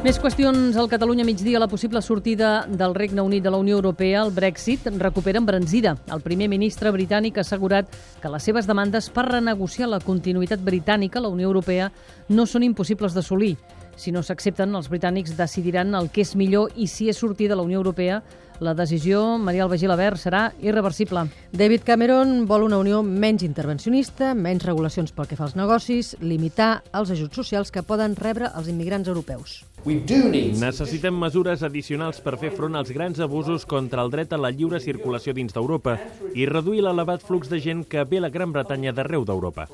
Més qüestions al Catalunya migdia. La possible sortida del Regne Unit de la Unió Europea, el Brexit, recupera embranzida. El primer ministre britànic ha assegurat que les seves demandes per renegociar la continuïtat britànica a la Unió Europea no són impossibles d'assolir. Si no s'accepten, els britànics decidiran el que és millor i si és sortir de la Unió Europea. La decisió, Maria Alba Gilabert, serà irreversible. David Cameron vol una Unió menys intervencionista, menys regulacions pel que fa als negocis, limitar els ajuts socials que poden rebre els immigrants europeus. Necessitem mesures addicionals per fer front als grans abusos contra el dret a la lliure circulació dins d'Europa i reduir l'elevat flux de gent que ve a la Gran Bretanya d'arreu d'Europa.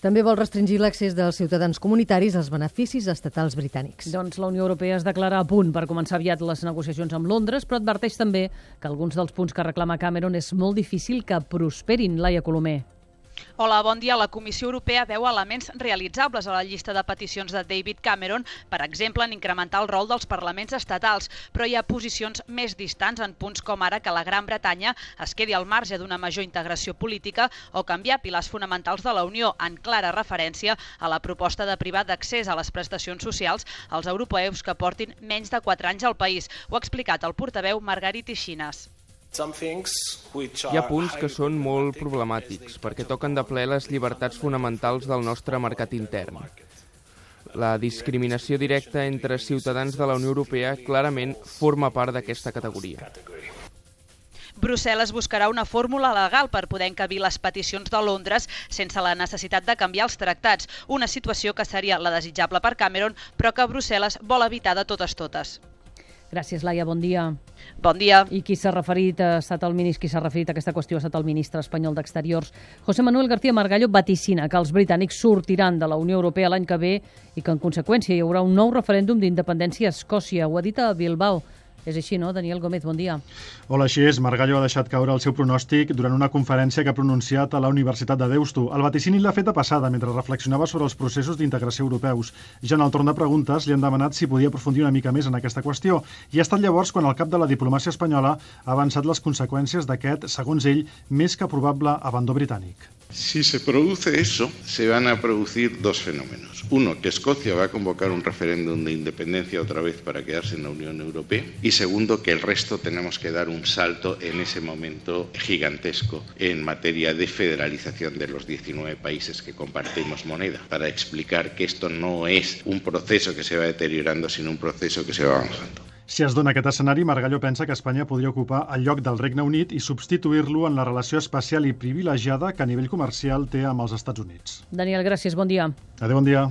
També vol restringir l'accés dels ciutadans comunitaris als beneficis estatals britànics. Doncs la Unió Europea es declara a punt per començar aviat les negociacions amb Londres, però adverteix també que alguns dels punts que reclama Cameron és molt difícil que prosperin. Laia Colomer. Hola, bon dia. La Comissió Europea veu elements realitzables a la llista de peticions de David Cameron, per exemple, en incrementar el rol dels parlaments estatals, però hi ha posicions més distants en punts com ara que la Gran Bretanya es quedi al marge d'una major integració política o canviar pilars fonamentals de la Unió, en clara referència a la proposta de privar d'accés a les prestacions socials als europeus que portin menys de 4 anys al país. Ho ha explicat el portaveu Margarit Ixinas. Hi ha punts que són molt problemàtics perquè toquen de ple les llibertats fonamentals del nostre mercat intern. La discriminació directa entre ciutadans de la Unió Europea clarament forma part d'aquesta categoria. Brussel·les buscarà una fórmula legal per poder encabir les peticions de Londres sense la necessitat de canviar els tractats, una situació que seria la desitjable per Cameron, però que Brussel·les vol evitar de totes. Gràcies, Laia. Bon dia. Bon dia. I qui s'ha referit a aquesta qüestió ha estat el ministre espanyol d'Exteriors. José Manuel García Margallo vaticina que els britànics sortiran de la Unió Europea l'any que ve i que, en conseqüència, hi haurà un nou referèndum d'independència a Escòcia. Ho ha dit a Bilbao. És així, no? Daniel Gómez, bon dia. Hola, així és. Margallo ha deixat caure el seu pronòstic durant una conferència que ha pronunciat a la Universitat de Deusto. El vaticini l'ha fet a passada mentre reflexionava sobre els processos d'integració europeus. Ja en el torn de preguntes li han demanat si podia aprofundir una mica més en aquesta qüestió. I ha estat llavors quan el cap de la diplomàcia espanyola ha avançat les conseqüències d'aquest, segons ell, més que probable abandó britànic. Si se produce eso, se van a producir dos fenómenos. Uno, que Escocia va a convocar un referéndum de independencia otra vez para quedarse en la Unión Europea. Y segundo, que el resto tenemos que dar un salto en ese momento gigantesco en materia de federalización de los 19 países que compartimos moneda, para explicar que esto no es un proceso que se va deteriorando, sino un proceso que se va avanzando. Si es dona aquest escenari, Margallo pensa que Espanya podria ocupar el lloc del Regne Unit i substituir-lo en la relació especial i privilegiada que a nivell comercial té amb els Estats Units. Daniel, gràcies. Bon dia. Adéu, bon dia.